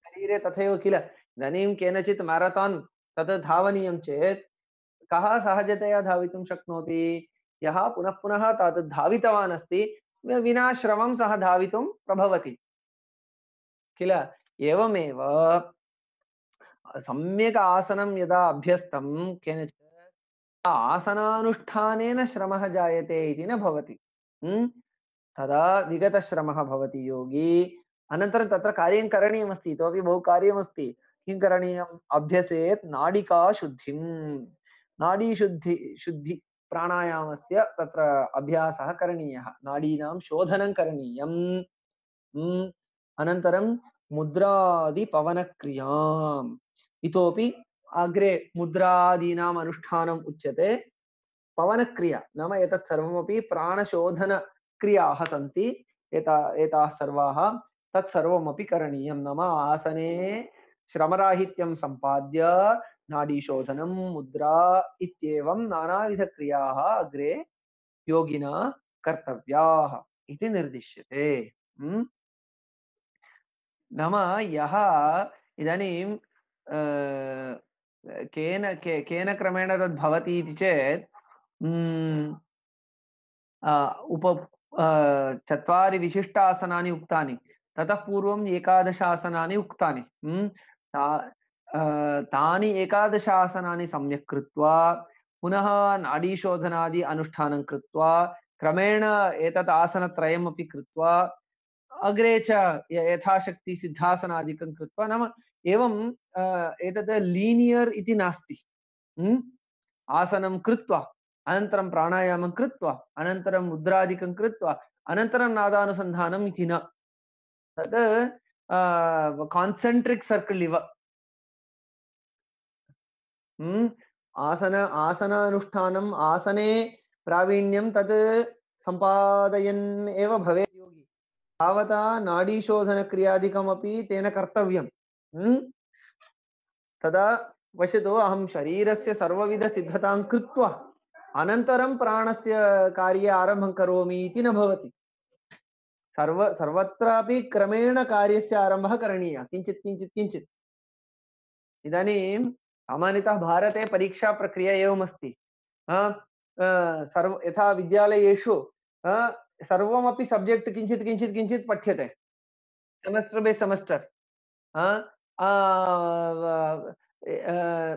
शरीरे तथैव किल, इदानीं केनचित् मैराथन तत् धावनीयं चेत् कः सहजतया धावितुं शक्नोति? यः पुनः तत् धावितवान् अस्ति, विना श्रमं सः धावितुं प्रभवति किल। एवमेव सम्यक् आसनं यदा अभ्यस्तं केनचित्, आसनानुष्ठानेन श्रमः जायते इति न भवति। तदा विगतश्रमः भवति योगी। अनन्तरं तत्र कार्यं करणीयमस्ति, इतोपि बहु कार्यमस्ति। किं करणीयम्? अभ्यसेत् नाडिकाशुद्धिं। नाडीशुद्धि प्राणायामस्य तत्र अभ्यासः करणीयः, नाडीनां शोधनं करणीयम्। अनन्तरं मुद्रादिपवनक्रियाम्। इतोपि अग्रे मुद्रादीनाम् अनुष्ठानम् उच्यते। पवनक्रिया नाम एतत् सर्वमपि प्राणशोधनक्रियाः सन्ति। एताः सर्वाः तत्सर्वमपि करणीयं। नाम आसने श्रमराहित्यं सम्पाद्य नाडीशोधनं मुद्रा इत्येवं नानाविधक्रियाः अग्रे योगिना कर्तव्याः इति निर्दिश्यते। नाम यः इदानीं केन क्रमेण तद् भवति इति चेत् उप चत्वारि विशिष्टासनानि उक्तानि, ततः पूर्वम् एकादश आसनानि उक्तानि। तानि एकादश आसनानि सम्यक् कृत्वा पुनः नाडीशोधनादि अनुष्ठानं कृत्वा क्रमेण एतत् आसनत्रयमपि कृत्वा अग्रे च यथाशक्ति सिद्धासनादिकं कृत्वा, नाम एवं एतत् लीनियर् इति नास्ति। आसनं कृत्वा अनन्तरं प्राणायामं कृत्वा अनन्तरं मुद्रादिकं कृत्वा अनन्तरं नादानुसन्धानम् इति न। तत् कान्सेन्ट्रिक् सर्कल् इव। आसनानुष्ठानम् आसने प्रावीण्यं तत् सम्पादयन् एव भवेत् योगी। तावता नाडीशोधनक्रियादिकमपि तेन कर्तव्यम्। तदा पश्यतु, अहं शरीरस्य सर्वविधसिद्धतां कृत्वा अनन्तरं प्राणस्य कार्ये आरम्भं करोमि इति न भवति। सर्वत्रापि क्रमेण कार्यस्य आरम्भः करणीयः, किञ्चित् किञ्चित् किञ्चित्। इदानीं सामान्यतः भारते परीक्षा प्रक्रिया एवमस्ति। यथा विद्यालयेषु सर्वमपि सब्जेक्ट् किञ्चित् किञ्चित् किञ्चित् पठ्यते, सेमेस्टर् बै सेमेस्टर्।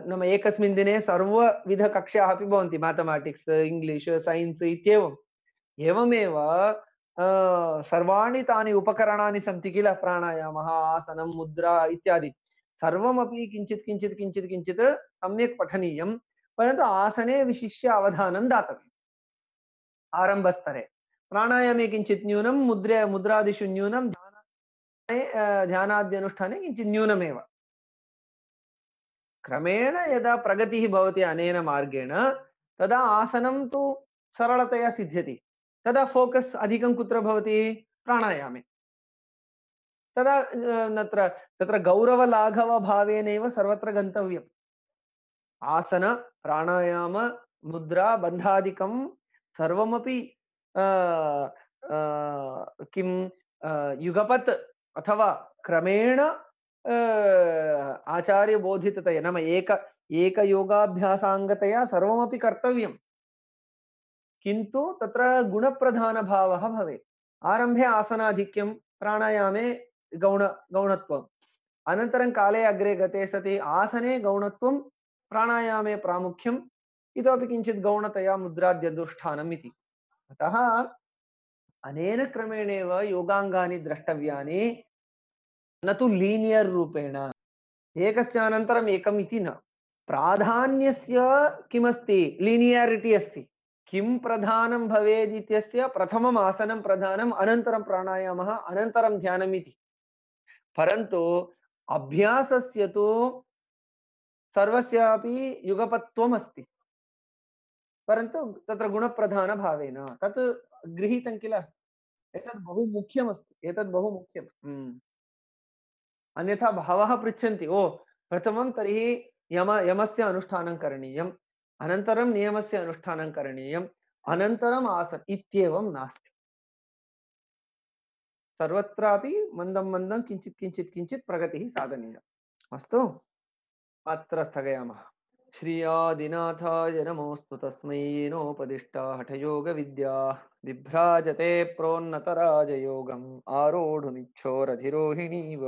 नाम एकस्मिन् दिने सर्वविधकक्ष्याः अपि भवन्ति, मैथमेटिक्स्, इङ्ग्लिश्, सैन्स् इत्येवम्। एवमेव सर्वाणि तानि उपकरणानि सन्ति किल, प्राणायामः, आसनं, मुद्रा इत्यादि सर्वमपि किञ्चित् किञ्चित् किञ्चित् किञ्चित् सम्यक् पठनीयं। परन्तु आसने विशिष्य अवधानं दातव्यम्। आरम्भस्तरे प्राणायामे किञ्चित् न्यूनं, मुद्रादिषु न्यूनं, ध्यानाद्यनुष्ठाने किञ्चित् न्यूनमेव। क्रमेण यदा प्रगतिः भवति अनेन मार्गेण, तदा आसनं तु सरलतया सिद्ध्यति। तदा फोकस् अधिकं कुत्र भवति? प्राणायामे। तदा तत्र गौरवलाघवभावेनैव सर्वत्र गन्तव्यम्। आसन, प्राणायाम, मुद्रा, बन्धादिकं सर्वमपि किं युगपत् अथवा क्रमेण आचार्यबोधिततया, नाम एकयोगाभ्यासाङ्गतया सर्वमपि कर्तव्यम्। किन्तु तत्र गुणप्रधानभावः भवेत्। आरम्भे आसनाधिक्यं, प्राणायामे गौणत्वम्, अनन्तरं काले अग्रे गते सति आसने गौणत्वं, प्राणायामे प्रामुख्यम्, इतोपि किञ्चित् गौणतया मुद्राद्यनुष्ठानम् इति। अतः अनेन क्रमेणेव योगाङ्गानि द्रष्टव्यानि, न तु लीनियर् रूपेण एकस्य अनन्तरम् एकम् इति न। प्राधान्यस्य किमस्ति? लीनियारिटी अस्ति। किं प्रधानं भवेत् इत्यस्य प्रथमम् आसनं प्रधानम्, अनन्तरं प्राणायामः, अनन्तरं ध्यानम् इति। परन्तु अभ्यासस्य तु सर्वस्यापि युगपत्वम् अस्ति, परन्तु तत्र गुणप्रधानभावेन तत् गृहीतं किल। एतत् बहु मुख्यमस्ति, एतत् बहु मुख्यम्। अन्यथा बहवः पृच्छन्ति, ओ प्रथमं तर्हि यमस्य अनुष्ठानं करणीयम्, अनन्तरं नियमस्य अनुष्ठानं करणीयम्, अनन्तरम् आसनं इत्येवं नास्ति। सर्वत्रापि मन्दं मन्दं किञ्चित् किञ्चित् किञ्चित् प्रगतिः साधनीया। अस्तु, अत्र स्थगयामः। श्रीयादिनाथाय नमोऽस्तु, तस्मै येनोपदिष्टा हठयोगविद्या विभ्राजते प्रोन्नतराजयोगम् आरोढुमिच्छोरधिरोहिणीव।